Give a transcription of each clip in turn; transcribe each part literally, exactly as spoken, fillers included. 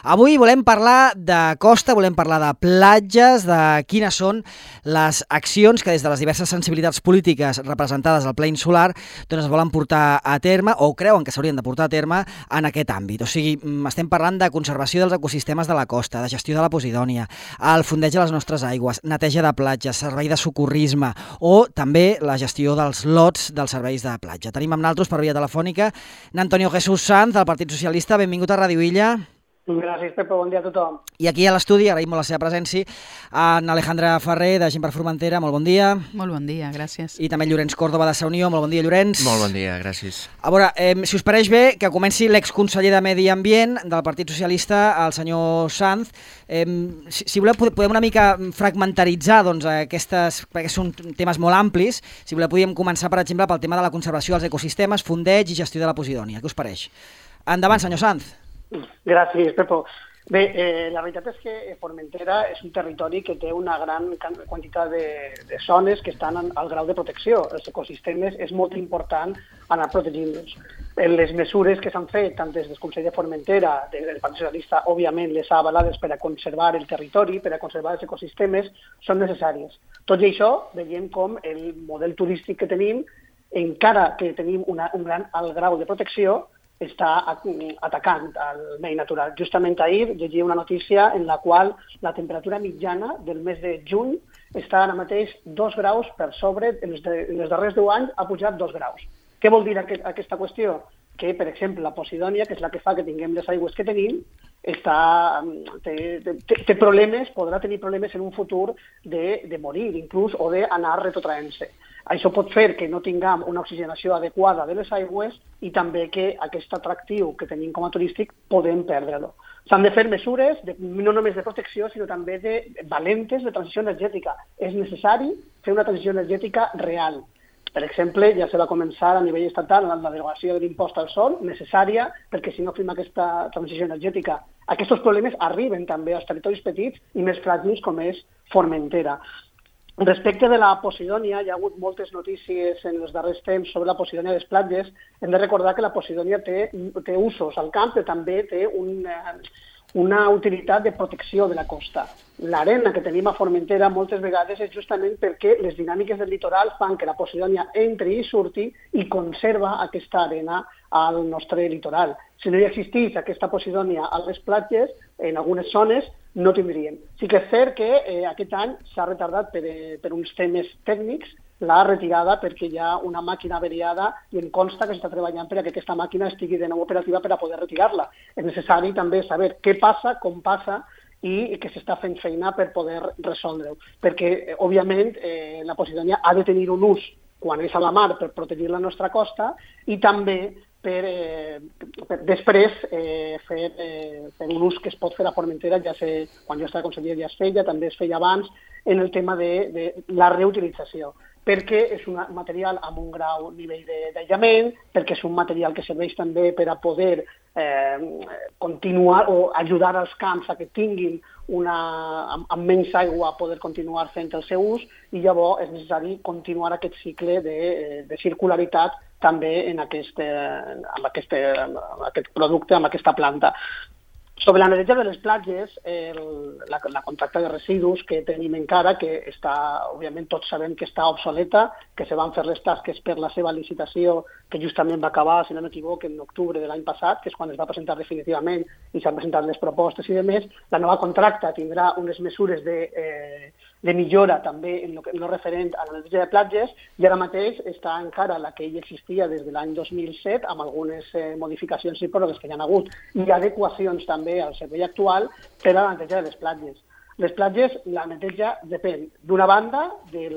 Avui volem parlar de costa, volem parlar de platges, de quines són les accions que des de les diverses sensibilitats polítiques representades al ple insular doncs es volen portar a terme o creuen que s'haurien de portar a terme en aquest àmbit. O sigui, estem parlant de conservació dels ecosistemes de la costa, de gestió de la Posidònia, el fondeig de les nostres aigües, neteja de platges, servei de socorrisme o també la gestió dels lots dels serveis de platja. Tenim amb nosaltres per via telefònica Antonio Jesús Sanz, del Partit Socialista. Benvingut a Ràdio Illa. Gràcies, Pepe. Bon dia a tothom. I aquí a l'estudi, agraïm molt la seva presència, en Alejandra Ferrer, de Gent per Formentera. Molt bon dia. Molt bon dia, gràcies. I també Llorenç Córdoba, de Sa Unió. Molt bon dia, Llorenç. Molt bon dia, gràcies. A veure, eh, si us pareix bé, que comenci l'exconseller de Medi Ambient del Partit Socialista, el senyor Sanz. Eh, si, si voleu, podem una mica fragmentaritzar doncs, aquestes, perquè són temes molt amplis. Si voleu, podríem començar, per exemple, pel tema de la conservació dels ecosistemes, fondeig i gestió de la Posidònia. Què us pareix? Endavant, senyor Sanz. Gràcies, Pepo. Bé, eh, la veritat és que Formentera és un territori que té una gran quantitat de, de zones que estan al grau de protecció. Els ecosistemes és molt important anar protegint-los. Les mesures que s'han fet, tant des del Consell de Formentera, del Partit Socialista, òbviament les ha avalades per a conservar el territori, per a conservar els ecosistemes, són necessàries. Tot i això, veiem com el model turístic que tenim, encara que tenim una, un gran alt grau de protecció, està atacant el medi natural. Justament ahir llegia una notícia en la qual la temperatura mitjana del mes de juny està ara mateix dos graus per sobre, en els, de, en els darrers deu anys ha pujat dos graus. Què vol dir aquest, aquesta qüestió? Que, per exemple, la Posidònia, que és la que fa que tinguem les aigües que tenim, està, té, té, té problemes, podrà tenir problemes en un futur de, de morir, inclús, o d'anar retrotraent-se. Això pot fer que no tinguem una oxigenació adequada de les aigües i també que aquest atractiu que tenim com a turístic podem perdre-lo. S'han de fer mesures de, no només de protecció, sinó també de valentes de transició energètica. És necessari fer una transició energètica real. Per exemple, ja se va començar a nivell estatal amb la derogació de l'impost al sol, necessària, perquè si no fem aquesta transició energètica, aquests problemes arriben també als territoris petits i més fràgils com és Formentera. Respecte de la Posidònia, hi ha hagut moltes notícies en els darrers temps sobre la Posidònia de les platges. Hem de recordar que la Posidònia té, té usos al camp, però també té un, una utilitat de protecció de la costa. L'arena que tenim a Formentera moltes vegades és justament perquè les dinàmiques del litoral fan que la Posidònia entri i surti i conserva aquesta arena al nostre litoral. Si no hi existís aquesta Posidònia a les platges, en algunes zones, no tindríem. Sí que és cert que eh, aquest any s'ha retardat per, eh, per uns temes tècnics la retirada perquè hi ha una màquina averiada i em consta que s'està treballant per a que aquesta màquina estigui de nou operativa per a poder retirar-la. És necessari també saber què passa, com passa i que s'està fent feina per poder resoldre-ho. Perquè, eh, òbviament, eh, la Posidònia ha de tenir un ús quan és a la mar per protegir la nostra costa i també per, eh, per després eh, fer, eh, fer un ús que es pot fer a Formentera, ja sé, quan jo estava conseller ja es feia, també es feia abans, en el tema de, de la reutilització, perquè és un material amb un grau nivell d'aïllament, perquè és un material que serveix també per a poder eh, continuar o ajudar als camps a que tinguin una, amb, amb menys aigua a poder continuar fent el seu ús i llavors és necessari continuar aquest cicle de, de circularitat també en aquest, amb, aquest, amb aquest producte, amb aquesta planta. Sobre la neteja de les platges, el, la, la contracta de residus que tenim encara, que està, òbviament tots sabem que està obsoleta, que se van fer les tasques per la seva licitació, que justament va acabar, si no m'equivoco, en octubre de l'any passat, que és quan es va presentar definitivament i s'han presentat les propostes i demés. La nova contracta tindrà unes mesures de, eh, de millora també en el no referent a la neteja de platges i ara mateix està encara la que ja existia des de l'any dos mil set amb algunes eh, modificacions i pròrrogues que hi ha hagut i adequacions també al servei actual per a la neteja de les platges. Les platges, la neteja depèn d'una banda del,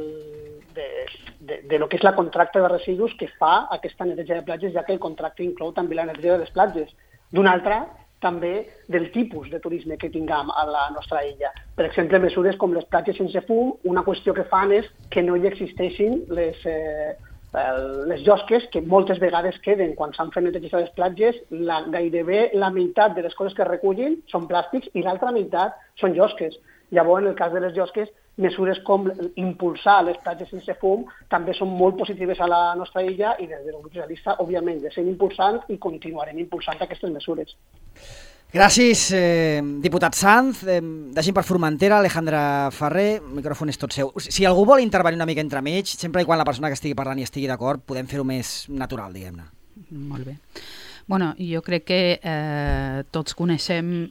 de, de, de lo que és la contracta de residus que fa aquesta neteja de platges, ja que el contracte inclou també la neteja de les platges. D'una altra, també del tipus de turisme que tinguem a la nostra illa. Per exemple, mesures com les platges sense fum, una qüestió que fan és que no hi existeixin les, eh, les llosques que moltes vegades queden quan s'han fet neteges a les platges, la, gairebé la meitat de les coses que recullin són plàstics i l'altra meitat són llosques. Llavors, en el cas de les llosques, mesures com impulsar les platges sense fum també són molt positives a la nostra illa i des del grup socialista, òbviament, de ser impulsant i continuarem impulsant aquestes mesures. Gràcies, eh, diputat Sanz. Eh, deixem per Formentera, Alejandra Ferrer, el micròfon és tot seu. Si algú vol intervenir una mica entremig, sempre i quan la persona que estigui parlant i estigui d'acord, podem fer-ho més natural, diguem-ne. Molt bé. Bueno, jo crec que eh, tots coneixem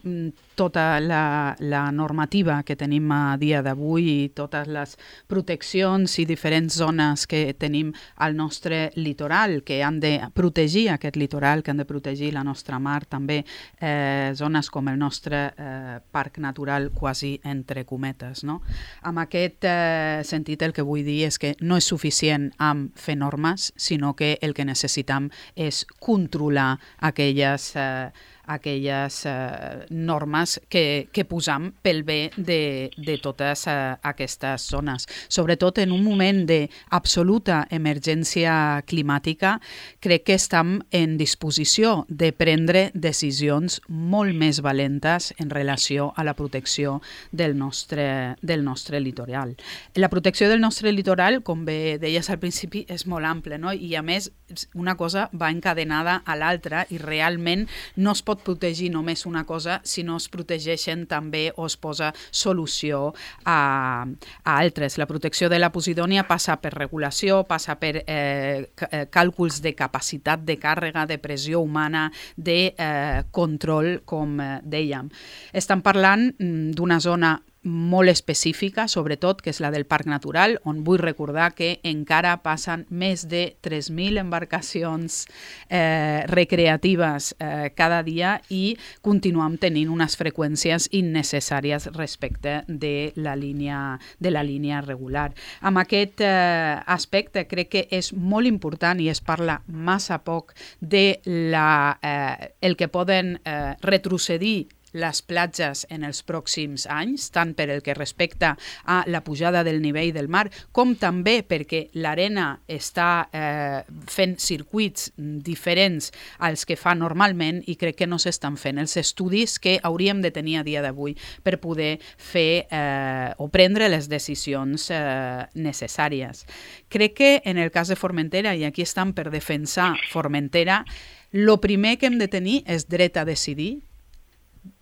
tota la, la normativa que tenim a dia d'avui i totes les proteccions i diferents zones que tenim al nostre litoral, que han de protegir aquest litoral, que han de protegir la nostra mar, també eh, zones com el nostre eh, parc natural, quasi entre cometes. No? Amb aquest eh, sentit el que vull dir és que no és suficient amb fer normes, sinó que el que necessitam és controlar aquelles eh, aquelles eh, normes que, que posam pel bé de, de totes eh, aquestes zones. Sobretot en un moment d'absoluta emergència climàtica, crec que estem en disposició de prendre decisions molt més valentes en relació a la protecció del nostre, del nostre litoral. La protecció del nostre litoral, com bé deies al principi, és molt ampla, no? I a més una cosa va encadenada a l'altra i realment no es pot protegir només una cosa, sinó es protegeixen també o es posa solució a, a altres. La protecció de la Posidònia passa per regulació, passa per eh, càlculs de capacitat de càrrega, de pressió humana, de eh, control, com eh, dèiem. Estem parlant mm, d'una zona molt específica, sobretot, que és la del Parc Natural, on vull recordar que encara passen més de tres mil embarcacions eh, recreatives eh, cada dia i continuem tenint unes freqüències innecessàries respecte de la línia, de la línia regular. Amb aquest eh, aspecte crec que és molt important i es parla massa poc de la, eh, el que poden eh, retrocedir les platges en els pròxims anys, tant per el que respecta a la pujada del nivell del mar, com també perquè l'arena està eh, fent circuits diferents als que fa normalment i crec que no s'estan fent els estudis que hauríem de tenir a dia d'avui per poder fer eh, o prendre les decisions eh, necessàries. Crec que en el cas de Formentera, i aquí estem per defensar Formentera, el primer que hem de tenir és dret a decidir,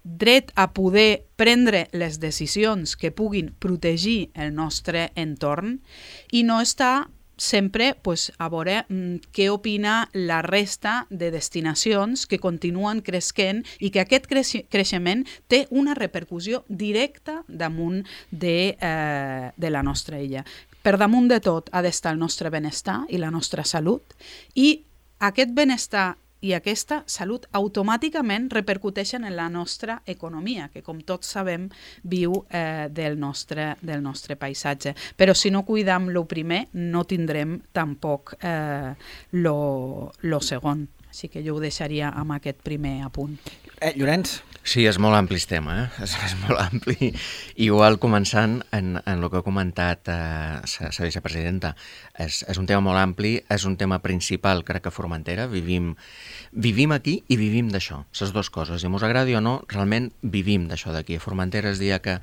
dret a poder prendre les decisions que puguin protegir el nostre entorn i no estar sempre pues, a veure mm, què opina la resta de destinacions que continuen creixent i que aquest creix- creixement té una repercussió directa damunt de, eh, de la nostra illa. Per damunt de tot ha d'estar el nostre benestar i la nostra salut i aquest benestar i aquesta salut automàticament repercuteixen en la nostra economia, que com tots sabem viu eh, del, nostre, del nostre paisatge. Però si no cuidam lo primer, no tindrem tampoc eh, lo, lo segon. Així que jo ho deixaria amb aquest primer apunt. Eh, Llorenç? Sí, és molt ampli el tema, eh? és, és molt ampli. Igual començant en, en el que ha comentat eh, la vicepresidenta, és, és un tema molt ampli, és un tema principal, crec que a Formentera, vivim, vivim aquí i vivim d'això, les dues coses, i mos agradi o no, realment vivim d'això d'aquí. A Formentera es dia que,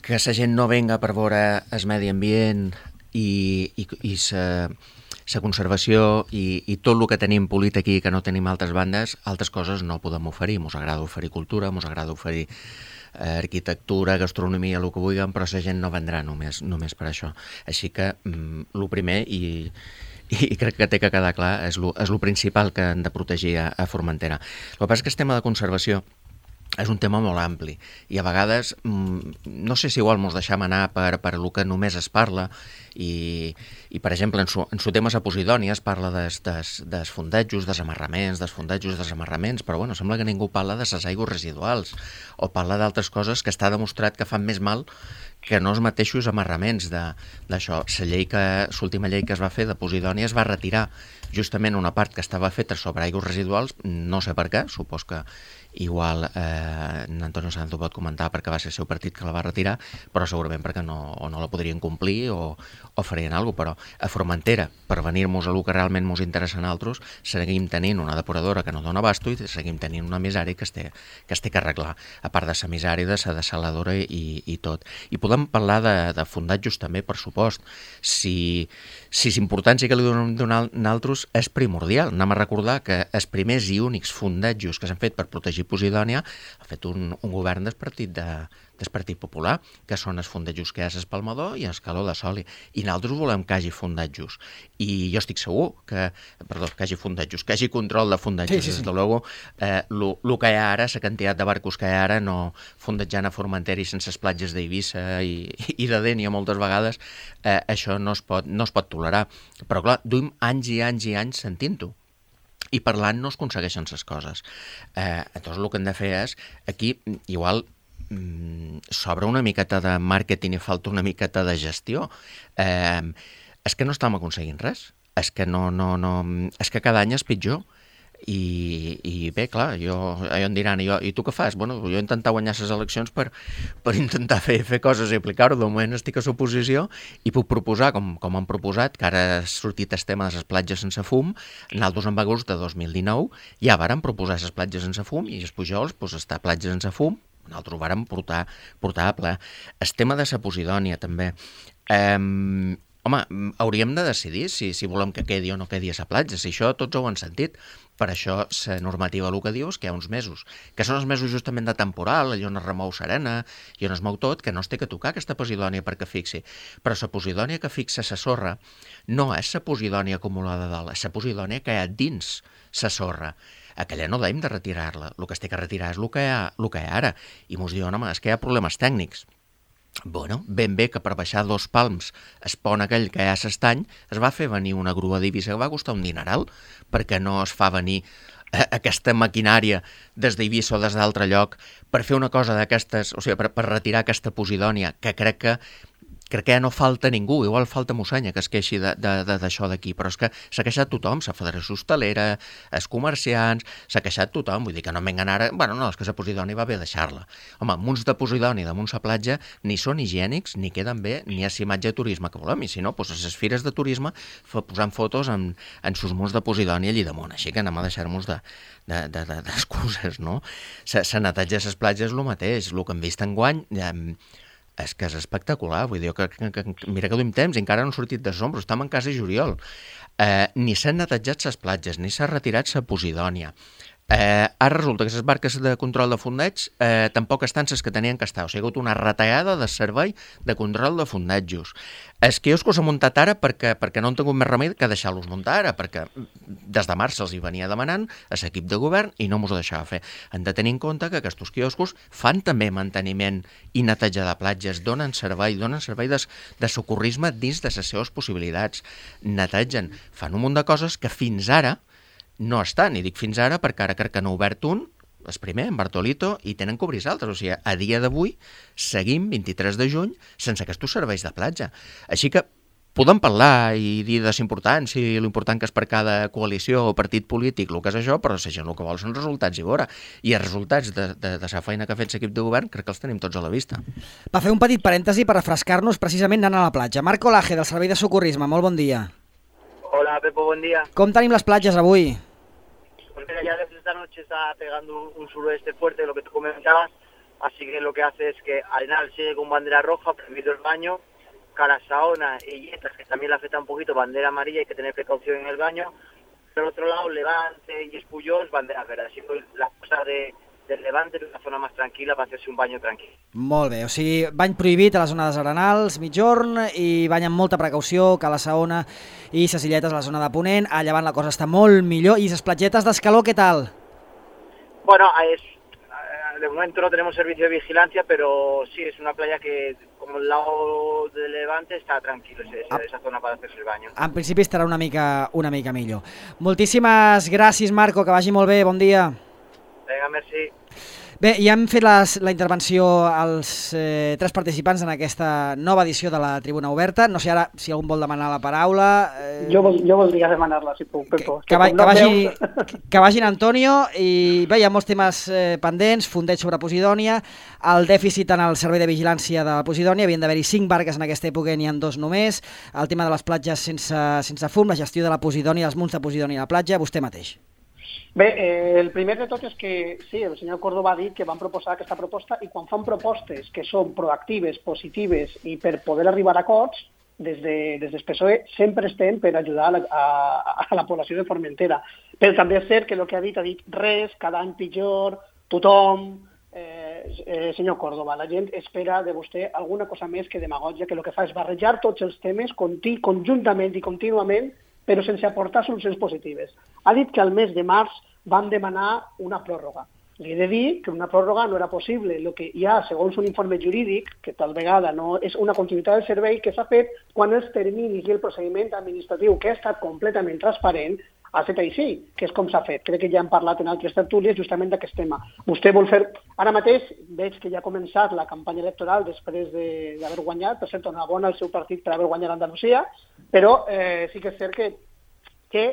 que la gent no venga per veure el medi ambient i, i, i sa... la conservació i, i tot el que tenim polit aquí que no tenim altres bandes, altres coses no podem oferir. Mos agrada oferir cultura, mos agrada oferir eh, arquitectura, gastronomia, el que vulguem, però la gent no vendrà només, només per això. Així que mm, el primer, i, i crec que té que quedar clar, és el principal que hem de protegir a, a Formentera. El que passa és que el tema de conservació és un tema molt ampli i a vegades no sé si igual mos deixam anar per, per el que només es parla i, i per exemple, en su, en su tema a Posidònia es parla des, des, des fondejos, desamarraments, des fondejos, desamarraments, però bueno, sembla que ningú parla de les aigües residuals o parla d'altres coses que està demostrat que fan més mal que no els mateixos amarraments d'això. La llei que, l'última llei que es va fer de Posidònia es va retirar justament una part que estava feta sobre aigües residuals, no sé per què, supos que igual eh, Antonio Sanz ho pot comentar perquè va ser el seu partit que la va retirar, però segurament perquè no, o no la podrien complir o, o farien alguna cosa, però a Formentera, per venir-nos a el que realment ens interessa a nosaltres, seguim tenint una depuradora que no dona abasto i seguim tenint una misèria que es té que, es té que arreglar, a part de la misèria, de la dessaladora i, i tot. I podem podem parlar de, de fondatjos també, per supost. Si, si és important, sí que li donem donar naltros, és primordial. Anem a recordar que els primers i únics fondatjos que s'han fet per protegir Posidònia ha fet un, un govern del Partit, de, del Partit Popular, que són els fondatjos que hi ha a Espalmador i a Escaló de Soli. I nosaltres volem que hi hagi fondatjos. I jo estic segur que, perdó, que hi hagi fondatjos, que hi hagi control de fondatjos. Sí, sí, sí. Des de luego, eh, el que hi ha ara, la quantitat de barcos que hi ha ara, no fondatjant a Formentera i sense les platges d'Eivissa i, i de Dénia moltes vegades, eh, això no es, pot, no es pot tolerar. Però clar, duim anys i anys i anys sentint-ho. I parlant no es aconsegueixen les coses. Eh, llavors el que hem de fer és, aquí, igual, mm, s'obre una miqueta de màrqueting i falta una miqueta de gestió. Eh, és que no estem aconseguint res. És que, no, no, no, és que cada any és pitjor. I, i bé, clar, jo, jo em diran, i, jo, i tu què fas? Bueno, jo he intentat guanyar les eleccions per, per intentar fer, fer coses i aplicar-ho. De moment estic a l'oposició i puc proposar, com, com han proposat, que ara ha sortit el tema de les platges sense fum. Nosaltres en agost de dos mil dinou ja vàrem proposar les platges sense fum i els Pujols, doncs, està platges sense fum. Nosaltres ho vàrem portar, portar a ple. El tema de la Posidònia, també. Eh, home, hauríem de decidir si, si volem que quedi o no quedi a la platja. Si això tots ho han sentit. Per això la normativa el que diu és que hi ha uns mesos, que són els mesos justament de temporal, allò on es remou serena i on es mou tot, que no es té que tocar aquesta Posidònia perquè fixi. Però la Posidònia que fixa la sorra no és la Posidònia acumulada dalt, és la Posidònia que hi ha dins la sorra. Aquella no hem de retirar-la, el que es té que retirar és el que hi ha, el que hi ha ara. I mos diuen, home, és que hi ha problemes tècnics. Bueno, ben bé que per baixar dos palms el pont aquell que hi ha a l'estany es va fer venir una grua d'Eivissa que va costar un dineral, perquè no es fa venir eh, aquesta maquinària des d'Eivissa o des d'altre lloc per fer una cosa d'aquestes, o sigui, per, per retirar aquesta Posidònia, que crec que crec que ja no falta ningú, igual falta Mossenya que es queixi d'això d'aquí, però és que s'ha queixat tothom, la Federació Hostalera, els comerciants, s'ha queixat tothom, vull dir que no m'engan ara, bueno, no, és que la Posidònia va bé deixar-la. Home, munts de Posidònia damunt la platja ni són higiènics, ni queden bé, ni hi ha imatge de turisme que volem, i si no, doncs a les fires de turisme posant fotos en, en sus munts de Posidònia allí damunt, així que anem a deixar-nos de d'excuses, no? Se neteja les platges el mateix, el que hem vist enguany, eh, és que és espectacular, vull dir, que, que, que, mira que duim temps i encara no han sortit de sombra, estem en casa de juliol. Eh, ni s'han netejat les platges, ni s'ha retirat la Posidònia. Eh, ara resulta que les barques de control de fondeig eh, tampoc estan les que tenien que estar, o sigui, ha hagut una retallada de servei de control de fondejos. Els quioscos s'han muntat ara perquè, perquè no han tingut més remei que deixar-los muntar ara, perquè des de març se'ls hi venia demanant a l'equip de govern i no mos ho deixava fer. Han de tenir en compte que aquests quioscos fan també manteniment i neteja de platges, donen servei, donen servei de, de socorrisme dins de les seves possibilitats, netegen, fan un munt de coses que fins ara no estan, i dic fins ara perquè ara crec que n'ha obert un, el primer, en Bartolito, i tenen que obrir altres. O sigui, a dia d'avui seguim, vint-i-tres de juny, sense aquests serveis de platja. Així que podem parlar i dir de l'important, si l'important que és per cada coalició o partit polític, el que és això, però la gent el que vol són resultats i veure. I els resultats de, de, de la feina que ha fet l'equip de govern crec que els tenim tots a la vista. Va fer un petit parèntesi per refrescar-nos precisament anant a la platja. Marco Laje, del Servei de Socorrisme, molt bon dia. Hola, Pepo, buen día. Com tenim les platges avui? Pues mira, ya desde esta noche está pegando un suroeste fuerte, lo que tú comentabas, así que lo que hace es que Arenal sigue con bandera roja, prohibido el baño, Calasaona y Yetas, que también le afecta un poquito, bandera amarilla, hay que tener precaución en el baño. Por otro lado, Levante y Espullols, bandera verde, así que la cosa de... del Levante, una zona més tranquil·la per fer-se un bany tranquil. Molt bé, o sigui, bany prohibit a la zona dels Arenals, mitjorn, i bany amb molta precaució, Cala-saona i ses Illetes a la zona de Ponent. A Llevant la cosa està molt millor. I les platgetes d'Escaló, què tal? Bueno, es, de momento no tenemos servicio de vigilancia, pero sí, es una playa que, como el lado del Levante, está tranquilo, esa, ah. esa zona para hacerse el baño. En principi estarà una mica, una mica millor. Moltíssimes gràcies, Marco, que vagi molt bé, bon dia. Vinga, merci. Bé, ja hem fet les, la intervenció als eh, tres participants en aquesta nova edició de la Tribuna Oberta. No sé ara si algun vol demanar la paraula. Eh... Jo, vol, jo voldria demanar-la, si puc, Pepo. Que, que, va, que, no vagi, veus... que vagin Antonio, i bé, hi ha molts temes eh, pendents, fondeig sobre Posidònia, el dèficit en el servei de vigilància de Posidònia, havien d'haver-hi cinc barques en aquesta època, n'hi ha dos només, el tema de les platges sense, sense fum, la gestió de la Posidònia, els munts de Posidònia a la platja, vostè mateix. Bé, eh, el primer de tot és que sí, el senyor Córdoba ha dit que van proposar aquesta proposta i quan fan propostes que són proactives, positives i per poder arribar a acords, des de, des del P S O E sempre estem per ajudar a la, a, a la població de Formentera. Però també és cert que el que ha dit, ha dit res, cada any pitjor, tothom... Eh, eh, senyor Córdoba, la gent espera de vostè alguna cosa més que demagògia, que el que fa és barrejar tots els temes conti, conjuntament i contínuament, però sense aportar solucions positives. Ha dit que al mes de març van demanar una pròrroga. Li he de dir que una pròrroga no era possible. El que hi ha, segons un informe jurídic, que tal vegada no és una continuïtat del servei, que s'ha fet quan els terminis i el procediment administratiu, que ha estat completament transparent, ha fet així, que és com s'ha fet. Crec que ja hem parlat en altres tertúlies justament d'aquest tema. Vostè vol fer... Ara mateix veig que ja ha començat la campanya electoral després d'haver guanyat, per cert, enhorabona al seu partit per haver guanyat Andalusia, però eh, sí que és cert que, que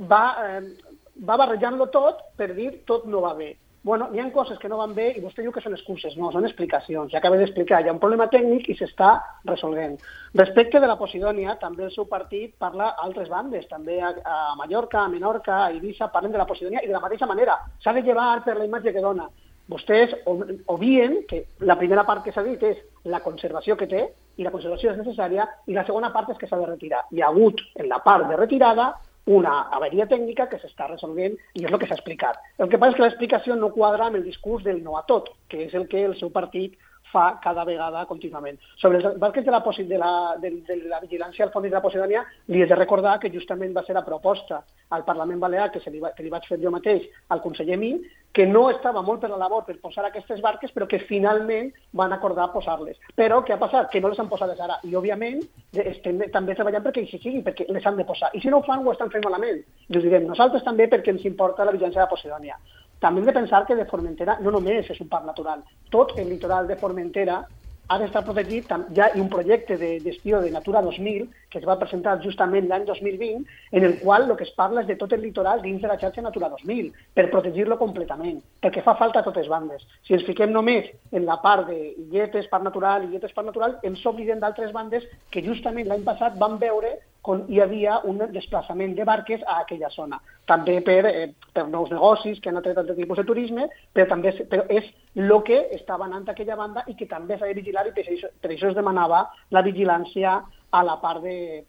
va, eh, va barrejant-lo tot per dir tot no va bé. Bueno, hi ha coses que no van bé i vostè diu que són excuses. No, són explicacions. Ja acabo d'explicar, hi ha un problema tècnic i s'està resolent. Respecte de la Posidònia, també el seu partit parla a altres bandes, també a, a Mallorca, a Menorca, a Eivissa, parlen de la Posidònia i de la mateixa manera. S'ha de llevar per la imatge que dona. Vostès obvien que la primera part que s'ha dit és la conservació que té, i la conservació és necessària, i la segona part és que s'ha de retirar. Hi ha hagut, en la part de retirada, una averia tècnica que s'està resolent i és el que s'ha explicat. El que passa és que l'explicació no quadra amb el discurs del no a tot, que és el que el seu partit fa cada vegada contínuament. Sobre els barques de la, de la, de, de la vigilància al fons de la Posidònia, li he de recordar que justament va ser la proposta al Parlament Balear, que, se li, va, que li vaig fer jo mateix al conseller Min, que no estava molt per la labor per posar aquestes barques, però que finalment van acordar posar-les. Però què ha passat? Que no les han posades ara. I, òbviament, estem també treballant perquè així sigui, perquè les han de posar. I si no ho fan, ho estan fent malament. I us direm, nosaltres també perquè ens importa la vigilància de la Posidònia. També hem de pensar que de Formentera no només és un parc natural. Tot el litoral de Formentera ha d'estar protegit. Ja hi ha un projecte de gestió de Natura dos mil que es va presentar justament l'any dos mil vint, en el qual el que es parla és de tot el litoral dins de la xarxa Natura dos mil, per protegir-lo completament, perquè fa falta a totes bandes. Si ens fiquem només en la part de illetes, parc natural, illetes, parc natural, ens oblidem d'altres bandes que justament l'any passat van veure on hi havia un desplaçament de barques a aquella zona. També per, eh, per nous negocis que han atret altres tipus de turisme, però també és, però és el que estava anant a aquella banda i que també s'ha de vigilar i per això, per això es demanava la vigilància a la part de,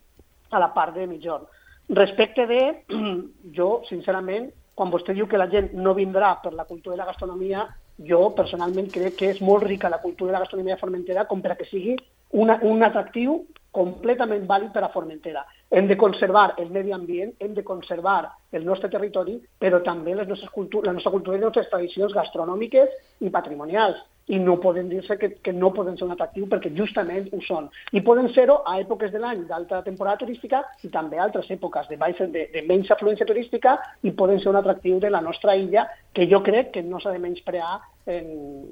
a la part de Migjorn. Respecte de, jo, sincerament, quan vostè diu que la gent no vindrà per la cultura i la gastronomia, jo personalment crec que és molt rica la cultura i la gastronomia de Formentera com per a que sigui una, un atractiu completament vàlid per a Formentera. Hem de conservar el medi ambient, hem de conservar el nostre territori, però també les nostres cultures, la nostra cultura i les nostres tradicions gastronòmiques i patrimonials. I no poden dir-se que, que no poden ser un atractiu perquè justament ho són. I poden ser-ho a èpoques de l'any d'alta temporada turística i també a altres èpoques de, baix, de, de menys afluència turística i poden ser un atractiu de la nostra illa que jo crec que no s'ha de menysprear en,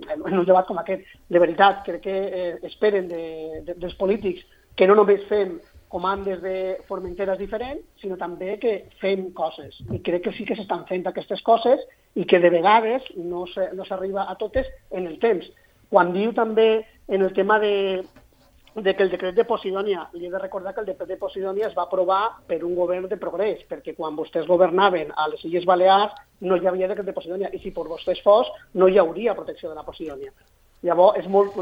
en, en un debat com aquest. De veritat, crec que eh, esperen de, de, dels polítics que no només fem comandes de Formenteres diferents, sinó també que fem coses. I crec que sí que s'estan fent aquestes coses i que de vegades no s'arriba a totes en el temps. Quan diu també en el tema de, de que el decret de Posidònia, li he de recordar que el decret de Posidònia es va aprovar per un govern de progrés, perquè quan vostès governaven a les Illes Balears no hi havia decret de Posidònia, i si per vostès fos no hi hauria protecció de la Posidònia. Llavors, és molt,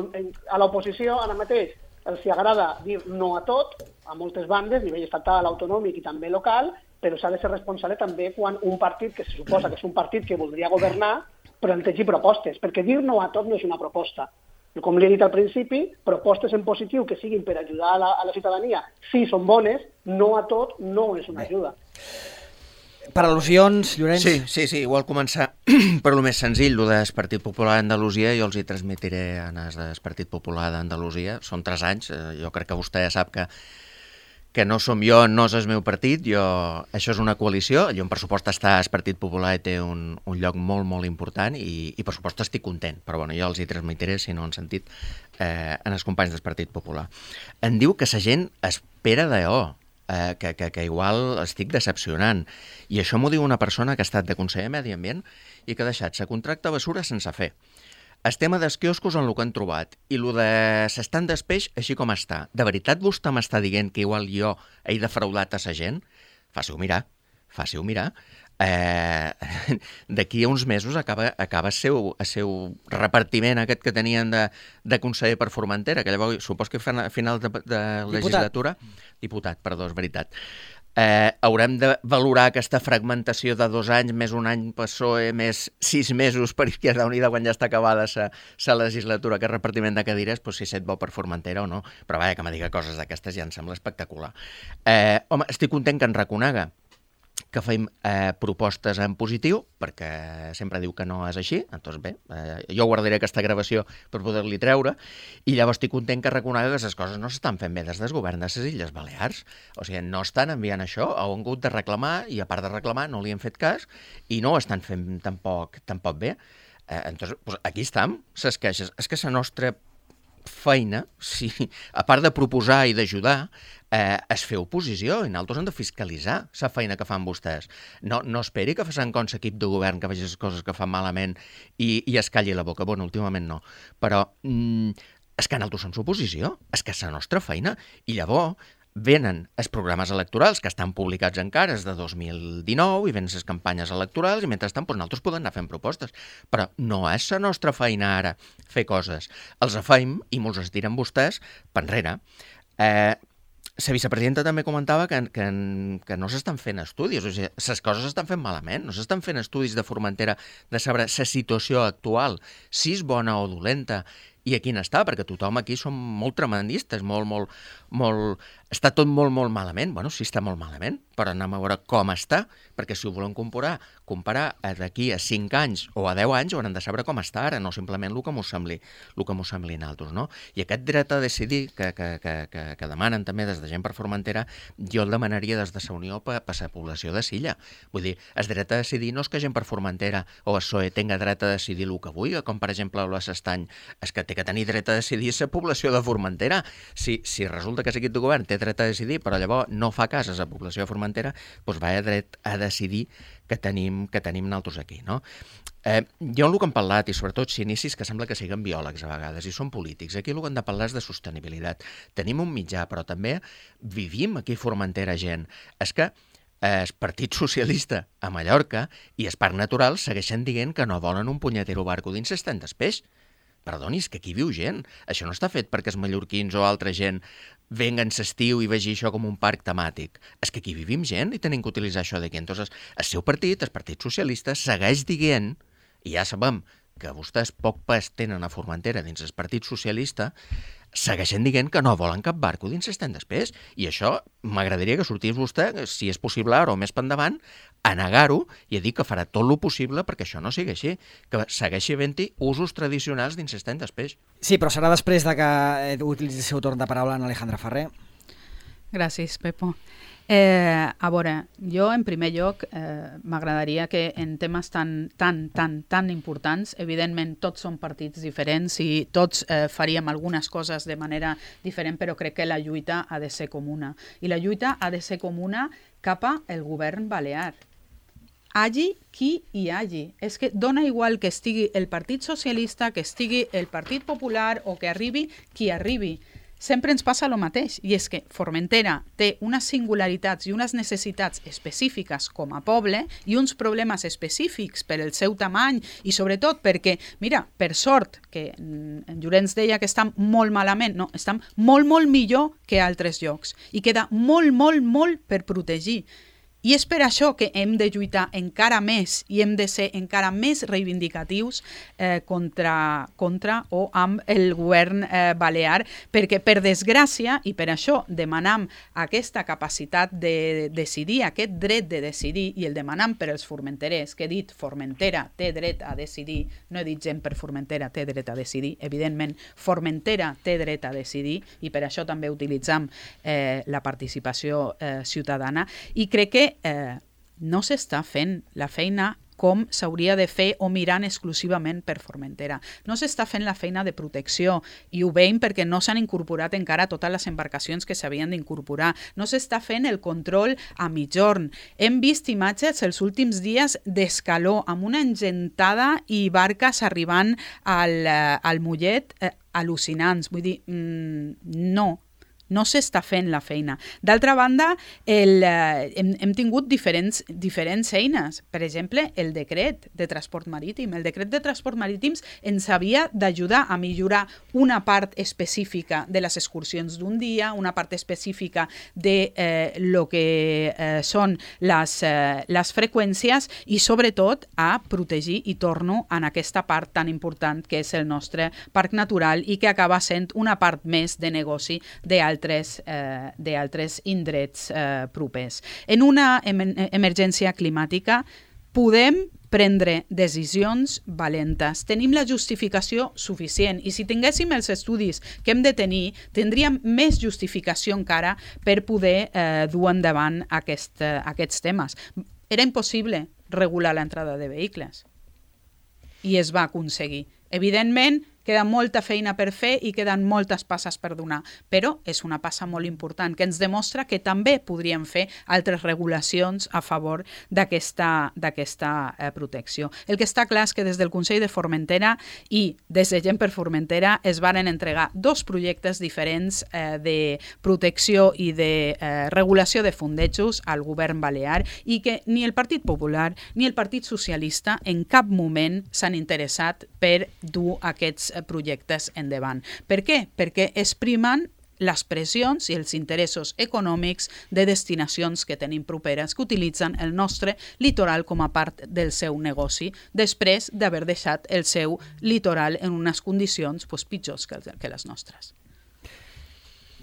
a l'oposició ara mateix els agrada dir no a tot, a moltes bandes, a nivell estatal, autonòmic i també local, però s'ha de ser responsable també quan un partit, que se suposa que és un partit que voldria governar, plantegi propostes, perquè dir no a tot no és una proposta. Com li he dit al principi, propostes en positiu que siguin per ajudar a la, a la ciutadania, sí, són bones, no a tot no és una ajuda. Per al·lusions, Llorenç? Sí, sí, sí, igual començar per lo més senzill, lo del Partit Popular d'Andalusia, jo els hi transmetiré en el del Partit Popular d'Andalusia, són tres anys, jo crec que vostè ja sap que que no som jo, no és el meu partit, jo, això és una coalició, jo en pressupost està el Partit Popular i té un, un lloc molt, molt important i, i per supost estic content, però bueno, jo els hi transmetiré, si no han sentit, eh, en els companys del Partit Popular. Em diu que la gent espera d'allò, eh, que, que, que igual estic decepcionant, i això m'ho diu una persona que ha estat de conseller de Medi Ambient i que ha deixat la contracta basura sense fer. El tema dels quioscos en el que han trobat i el de s'estan del peix així com està. De veritat vostè m'està dient que igual jo he defraudat a la gent? Faci-ho mirar, faci-ho mirar. Eh, d'aquí a uns mesos acaba, acaba el seu, el seu repartiment aquest que tenien de, de conseller per Formentera, que llavors supos que a final de, de legislatura... Diputat, perdó, és veritat. Eh, haurem de valorar aquesta fragmentació de dos anys, més un any P S O E, més sis mesos per Izquierda Unida quan ja està acabada la legislatura, aquest repartiment de cadires, doncs si set bo per Formentera o no. Però vaja, que me diga coses d'aquestes ja em sembla espectacular. Eh, home, estic content que en reconega que fem eh, propostes en positiu, perquè sempre diu que no és així, doncs bé, eh, jo guardaré aquesta gravació per poder-li treure, i llavors estic content que reconega que les coses no s'estan fent bé des del govern de les Illes Balears. O sigui, no estan enviant això, han hagut de reclamar, i a part de reclamar no li han fet cas, i no ho estan fent tampoc, tampoc bé. Eh, entonces, pues aquí estem, les queixes. És que la nostra feina, si, a part de proposar i d'ajudar, eh, es fer oposició i nosaltres hem de fiscalitzar la feina que fan vostès. No, no esperi que facin com l'equip de govern que vegi les coses que fan malament i, i es calli la boca. Bueno, últimament no. Però mm, és que nosaltres som l'oposició, és que és la nostra feina. I llavors venen els programes electorals que estan publicats encara, és de dos mil dinou, i venen les campanyes electorals, i mentrestant doncs, nosaltres podem anar fent propostes. Però no és la nostra feina ara fer coses. Els feim i mos els tiren vostès per enrere. Eh, la vicepresidenta també comentava que, que, que no s'estan fent estudis, o sigui, les coses s'estan fent malament, no s'estan fent estudis de Formentera de saber la situació actual, si és bona o dolenta, i a quin està, perquè tothom aquí som molt tremendistes, molt, molt, molt... Està tot molt, molt malament. Bueno, sí està molt malament, però anem a veure com està, perquè si ho volem comparar, comparar d'aquí a cinc anys o a deu anys haurem de saber com està ara, no simplement el que m'ho sembli, el que m'ho sembli naltros, no? I aquest dret a decidir que, que, que, que, que demanen també des de gent per Formentera, jo el demanaria des de la Unió per, per la població de Silla. Vull dir, el dret a decidir no és que gent per Formentera o el P S O E tenga dret a decidir el que vulgui, com per exemple a l'Estany, és que té que tenir dret a decidir la població de Formentera. Si, si resulta que l'equip de govern té dret a decidir, però llavors no fa cas a la població de Formentera, doncs va a dret a decidir que tenim, que tenim nosaltres aquí, no? Eh, jo el que hem parlat, i sobretot si inicis que sembla que siguin biòlegs a vegades, i són polítics, aquí el que hem de parlar és de sostenibilitat. Tenim un mitjà, però també vivim aquí a Formentera gent. És que el Partit Socialista a Mallorca i el Parc Natural segueixen dient que no volen un punyetero barco dins les tendes peix. Perdoni, és que aquí viu gent. Això no està fet perquè els mallorquins o altra gent venguen l'estiu i vegi això com un parc temàtic. És que aquí vivim gent i tenim que utilitzar això d'aquí. Entonces, el seu partit, el Partit Socialista, segueix dient, i ja sabem que vostès poc pes tenen a Formentera dins el Partit Socialista, segueixen dient que no volen cap barco dins les tendes peix. I això m'agradaria que sortís vostè, si és possible ara o més per endavant, a negar-ho i a dir que farà tot el possible perquè això no sigui així, que segueixi havent-hi usos tradicionals dins les tendes peix. Sí, però serà després de que utilitzi el seu torn de paraula en Alejandra Ferrer. Gràcies, Pepo. Eh, a veure, jo en primer lloc eh, m'agradaria que en temes tan, tan, tan, tan importants, evidentment tots són partits diferents i tots eh, faríem algunes coses de manera diferent, però crec que la lluita ha de ser comuna. I la lluita ha de ser comuna cap al govern balear. Hagi qui hi hagi. És que dona igual que estigui el Partit Socialista, que estigui el Partit Popular o que arribi qui arribi. Sempre ens passa el mateix, i és que Formentera té unes singularitats i unes necessitats específiques com a poble i uns problemes específics per el seu tamany i sobretot perquè, mira, per sort, que en Llorenç deia que estan molt malament, no, estan molt, molt millor que altres llocs i queda molt, molt, molt per protegir. I és per això que hem de lluitar encara més i hem de ser encara més reivindicatius eh, contra, contra o amb el govern eh, balear, perquè per desgràcia, i per això demanam aquesta capacitat de decidir, aquest dret de decidir, i el demanam per als formenterers, que he dit Formentera té dret a decidir, no he dit gent per Formentera té dret a decidir, evidentment Formentera té dret a decidir, i per això també utilitzam eh, la participació eh, ciutadana, i crec que Eh, no s'està fent la feina com s'hauria de fer o mirant exclusivament per Formentera. No s'està fent la feina de protecció i ho veiem perquè no s'han incorporat encara totes les embarcacions que s'havien d'incorporar. No s'està fent el control a mitjorn. Hem vist imatges els últims dies d'escaló amb una engentada i barques arribant al, al Mollet eh, al·lucinants. Vull dir, mm, no. no s'està fent la feina. D'altra banda, el, eh, hem, hem tingut diferents, diferents eines. Per exemple, el decret de transport marítim. El decret de transport marítim ens havia d'ajudar a millorar una part específica de les excursions d'un dia, una part específica de eh, lo que eh, són les, eh, les freqüències i, sobretot, a protegir, i torno en aquesta part tan important que és el nostre parc natural i que acaba sent una part més de negoci d'altres eh, d'altres indrets eh, propers. En una em emergència climàtica podem prendre decisions valentes. Tenim la justificació suficient i si tinguéssim els estudis que hem de tenir, tindríem més justificació encara per poder eh, dur endavant aquest, eh, aquests temes. Era impossible regular l'entrada de vehicles i es va aconseguir. Evidentment, queda molta feina per fer i queden moltes passes per donar, però és una passa molt important que ens demostra que també podríem fer altres regulacions a favor d'aquesta d'aquesta eh, protecció. El que està clar és que des del Consell de Formentera i des de Gent per Formentera es varen entregar dos projectes diferents eh, de protecció i de eh, regulació de fondejos al govern balear i que ni el Partit Popular ni el Partit Socialista en cap moment s'han interessat per dur aquests projectes endavant. Per què? Perquè es primen les pressions i els interessos econòmics de destinacions que tenim properes que utilitzen el nostre litoral com a part del seu negoci després d'haver deixat el seu litoral en unes condicions pues, pitjors que, que les nostres.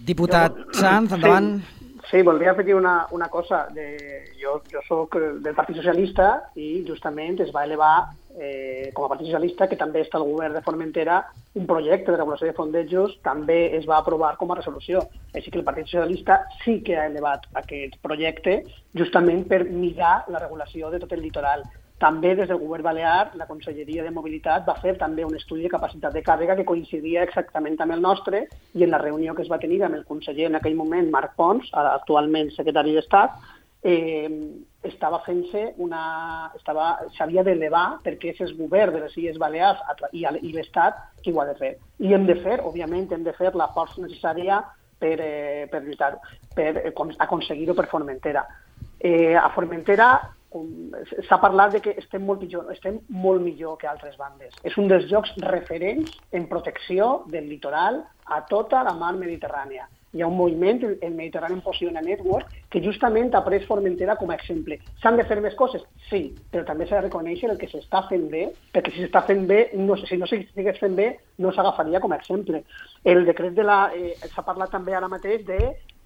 Diputat Sanz, endavant. Sí. Sí, voldria afegir una, una cosa. De, jo, jo soc del Partit Socialista i justament es va elevar eh, com a Partit Socialista, que també està al govern de Formentera, un projecte de regulació de fondejos, també es va aprovar com a resolució. Així que el Partit Socialista sí que ha elevat aquest projecte justament per mirar la regulació de tot el litoral. També des del govern balear, la Conselleria de Mobilitat va fer també un estudi de capacitat de càrrega que coincidia exactament amb el nostre i en la reunió que es va tenir amb el conseller en aquell moment, Marc Pons, actualment secretari d'Estat, eh, estava fent-se una... estava, s'havia d'elevar perquè és el govern de les Illes Balears i, i l'Estat qui ho ha de fer. I hem de fer, òbviament, hem de fer la força necessària per, eh, per lluitar-ho, per eh, aconseguir-ho per Formentera. Eh, a Formentera s'ha parlat de que estem molt pitjor, estem molt millor que altres bandes. És un dels llocs referents en protecció del litoral a tota la mar Mediterrània. Hi ha un moviment, el Mediterranean Position Network, que justament ha pres Formentera com a exemple. S'han de fer més coses? Sí, però també s'ha de reconèixer el que s'està fent bé, perquè si s'està fent bé, no, si no s'estigués fent bé, no s'agafaria com a exemple. El decret de la... Eh, s'ha parlat també ara mateix de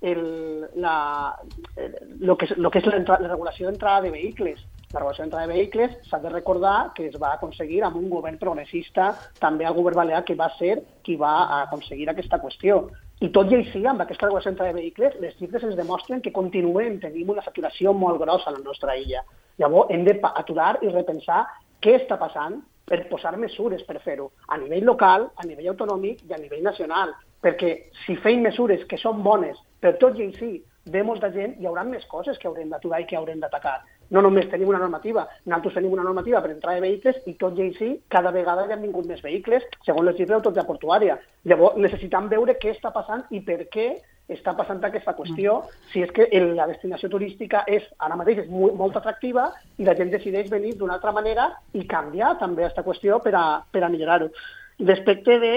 el, la, el, lo que, lo que és la, la regulació d'entrada de vehicles. La regulació d'entrada de vehicles s'ha de recordar que es va aconseguir amb un govern progressista, també el govern balear, que va ser qui va aconseguir aquesta qüestió. I tot i així, amb aquesta regulació d'entrada de vehicles, les xifres ens demostren que continuem, tenim una saturació molt grossa a la nostra illa. Llavors, hem d'aturar i repensar què està passant per posar mesures per fer-ho, a nivell local, a nivell autonòmic i a nivell nacional. Perquè si feim mesures que són bones, però tot i així ve molta gent, hi haurà més coses que haurem d'aturar i que haurem d'atacar. No només tenim una normativa, nosaltres tenim una normativa per entrar de vehicles i tot i així cada vegada hi han vingut més vehicles, segons les xifres d'autoritat portuària. Llavors necessitem veure què està passant i per què està passant aquesta qüestió, si és que la destinació turística és ara mateix és molt, molt atractiva i la gent decideix venir d'una altra manera i canviar també aquesta qüestió per a, per a millorar-ho. Respecte de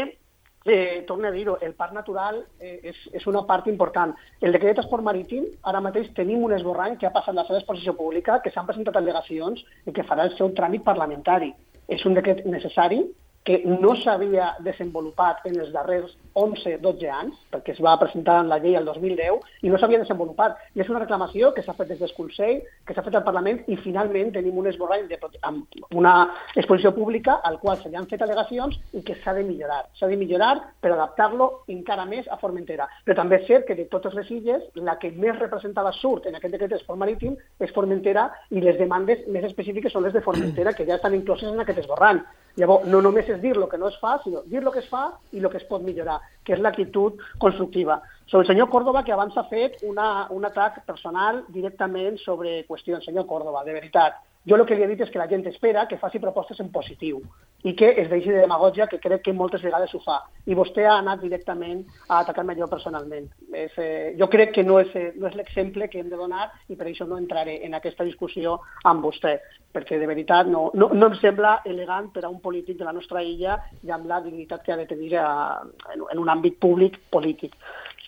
Eh, torno a dir-ho, el parc natural eh, és, és una part important. El decret de transport marítim, ara mateix tenim un esborrany que ha passat la seva exposició pública, que s'han presentat al·legacions i que farà el seu tràmit parlamentari. És un decret necessari que no s'havia desenvolupat en els darrers onze dotze anys, perquè es va presentar en la llei el dos mil deu, i no s'havia desenvolupat. I és una reclamació que s'ha fet des del Consell, que s'ha fet al Parlament, i finalment tenim un esborrany de, amb una exposició pública al qual se li han fet al·legacions i que s'ha de millorar. S'ha de millorar per adaptar-lo encara més a Formentera. Però també és cert que de totes les illes, la que més representada surt en aquest decret de transport marítim és Formentera i les demandes més específiques són les de Formentera, que ja estan incloses en aquest esborrany. Llavors, no només és dir el que no es fa, sinó dir el que es fa i el que es pot millorar, que és l'actitud constructiva. Sobre el senyor Córdoba, que abans ha fet una, un atac personal directament sobre qüestions. Senyor Córdoba, de veritat, jo el que li he dit és que la gent espera que faci propostes en positiu i que es deixi de demagògia, que crec que moltes vegades ho fa. I vostè ha anat directament a atacar-me jo personalment. És, eh, jo crec que no és, eh, no és l'exemple que hem de donar i per això no entraré en aquesta discussió amb vostè, perquè de veritat no, no, no em sembla elegant per a un polític de la nostra illa i amb la dignitat que ha de tenir a, en, en un àmbit públic polític.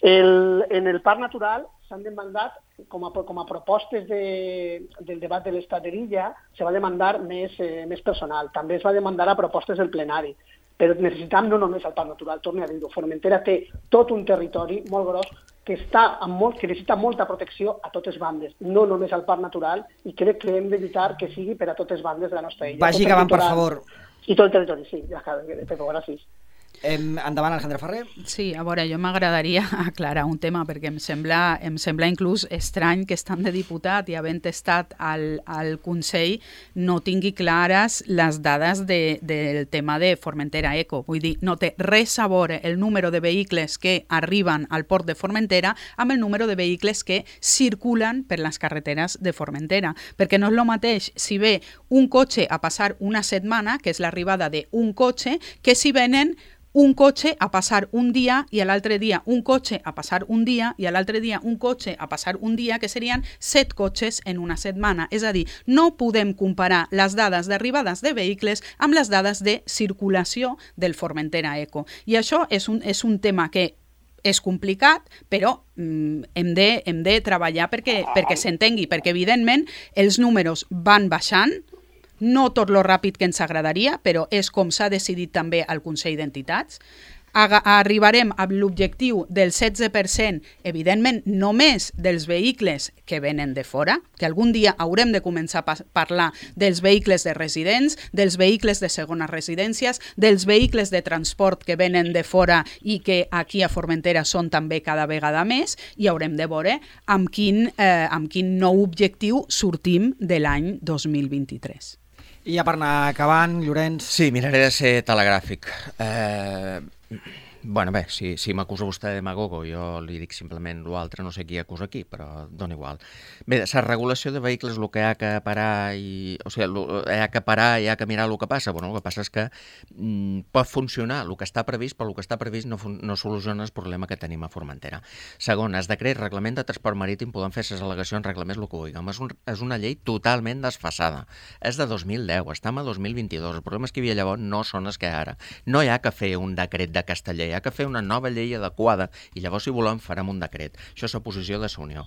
El, en el Parc Natural s'han demandat, com a, com a propostes de, del debat de l'estat de l'illa, se va demandar més, eh, més personal. També es va demandar a propostes del plenari. Però necessitam no només el Parc Natural, torno a dir-ho. Formentera té tot un territori molt gros que, està amb molt, que necessita molta protecció a totes bandes, no només al Parc Natural, i crec que hem d'evitar que sigui per a totes bandes de la nostra illa. Vagi acabant, per favor. I tot el territori, sí. Ja acabo, Pepo, gràcies. Em, endavant, Alejandra Ferrer. Sí, a veure, jo m'agradaria aclarar un tema perquè em sembla, em sembla inclús estrany que estant de diputat i havent estat al, al Consell no tingui clares les dades de, del tema de Formentera Eco. Vull dir, no té res a veure el número de vehicles que arriben al port de Formentera amb el número de vehicles que circulen per les carreteres de Formentera, perquè no és el mateix si ve un cotxe a passar una setmana, que és l'arribada d'un cotxe, que si venen un cotxe a passar un dia i a l'altre dia un cotxe a passar un dia i a l'altre dia un cotxe a passar un dia, que serien set cotxes en una setmana. És a dir, no podem comparar les dades d'arribades de vehicles amb les dades de circulació del Formentera Eco. I això és un, és un tema que és complicat, però mm, hem, de, hem de treballar perquè, perquè s'entengui, perquè evidentment els números van baixant, no tot lo ràpid que ens agradaria, però és com s'ha decidit també al Consell d'Entitats. Arribarem a l'objectiu del setze per cent, evidentment només dels vehicles que venen de fora, que algun dia haurem de començar a parlar dels vehicles de residents, dels vehicles de segones residències, dels vehicles de transport que venen de fora i que aquí a Formentera són també cada vegada més, i haurem de veure amb quin, eh, amb quin nou objectiu sortim de l'any dos mil vint-i-tres. I ja per anar acabant, Llorenç... Sí, miraré de ser telegràfic. Eh... Bueno, bé, si, si m'acusa vostè de demagogo, jo li dic simplement l'altre, no sé qui acusa aquí, però dona igual. Bé, la regulació de vehicles, el que hi ha que parar i... O sigui, hi ha que parar i hi ha que mirar el que passa. Bueno, el que passa és que mm, pot funcionar el que està previst, però el que està previst no, no soluciona el problema que tenim a Formentera. Segon, es decret reglament de transport marítim, poden fer les al·legacions, reclamés el que vulguin. És, un, és una llei totalment desfasada. És de dos mil deu, estem a dos mil vint-i-dos. Els problemes que hi havia llavors no són els que ara. No hi ha que fer un decret de Casteller, hi ha que fer una nova llei adequada i llavors, si volem, farem un decret. Això és la posició de la Unió.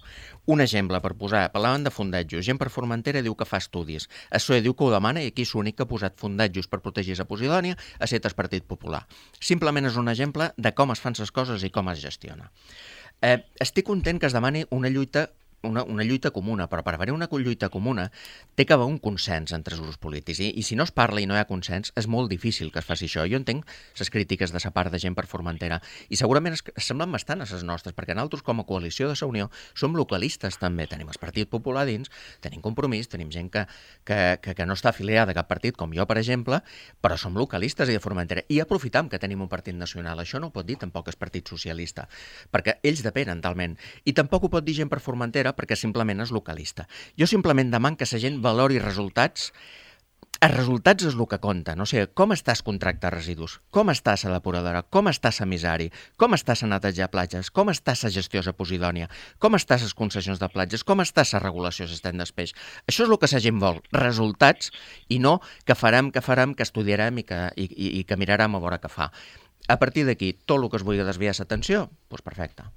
Un exemple per posar, parlaven de fondatjos. Gent per Formentera diu que fa estudis. El P S O E diu que ho demana i aquí l'únic que ha posat fondatjos per protegir la Posidònia ha estat el Partit Popular. Simplement és un exemple de com es fan les coses i com es gestiona. Eh, estic content que es demani una lluita Una, una lluita comuna, però per haver una lluita comuna té que haver un consens entre els grups polítics i, i si no es parla i no hi ha consens és molt difícil que es faci això. Jo entenc les crítiques de la part de Gent per Formentera i segurament es, es semblen bastant a les nostres, perquè nosaltres com a coalició de la Unió som localistes també, tenim el Partit Popular dins, tenim Compromís, tenim gent que, que, que, que no està afiliada a cap partit, com jo per exemple, però som localistes i de Formentera i aprofitam que tenim un partit nacional. Això no ho pot dir tampoc el Partit Socialista, perquè ells depenen talment, i tampoc ho pot dir Gent per Formentera perquè simplement és localista. Jo simplement deman que la gent valori resultats. Els resultats és el que compta. No? O sigui, com està el contracte de residus? Com està la depuradora? Com està l'emissari? Com està la neteja de platges? Com està la gestió de Posidònia? Com està les concessions de platges? Com està la regulació de l'estany dels peix? Això és el que la gent vol, resultats, i no que farem, que farem, que estudiarem i que, i, i, i que mirarem a veure què fa. A partir d'aquí, tot el que es vulgui desviar l'atenció, doncs perfecte.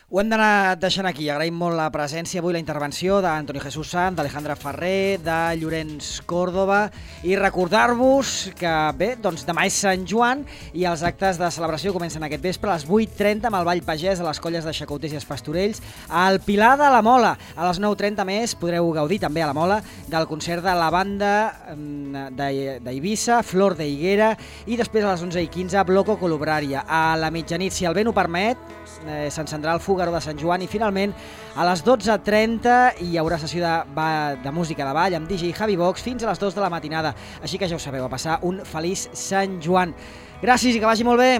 Ho hem d'anar deixant aquí. Agraïm molt la presència avui, la intervenció d'Antoni Jesús Sant, d'Alejandra Ferrer, de Llorenç Córdoba, i recordar-vos que, bé, doncs demà és Sant Joan i els actes de celebració comencen aquest vespre a les vuit trenta amb el Ball Pagès a les colles de Xacouters i els Pastorells al Pilar de la Mola. A les nou trenta més podreu gaudir també a la Mola del concert de la banda d'Eivissa, Flor de Higuera, i després a les onze i quinze Bloco Colubraria. A la mitjanit, si el vent ho permet, eh, s'encendrà el Fúgaro de Sant Joan i finalment a les dotze trenta hi haurà sessió de, de música de ball amb D J Javi Vox fins a les dues de la matinada. Així que ja ho sabeu, a passar un feliç Sant Joan. Gràcies i que vagi molt bé.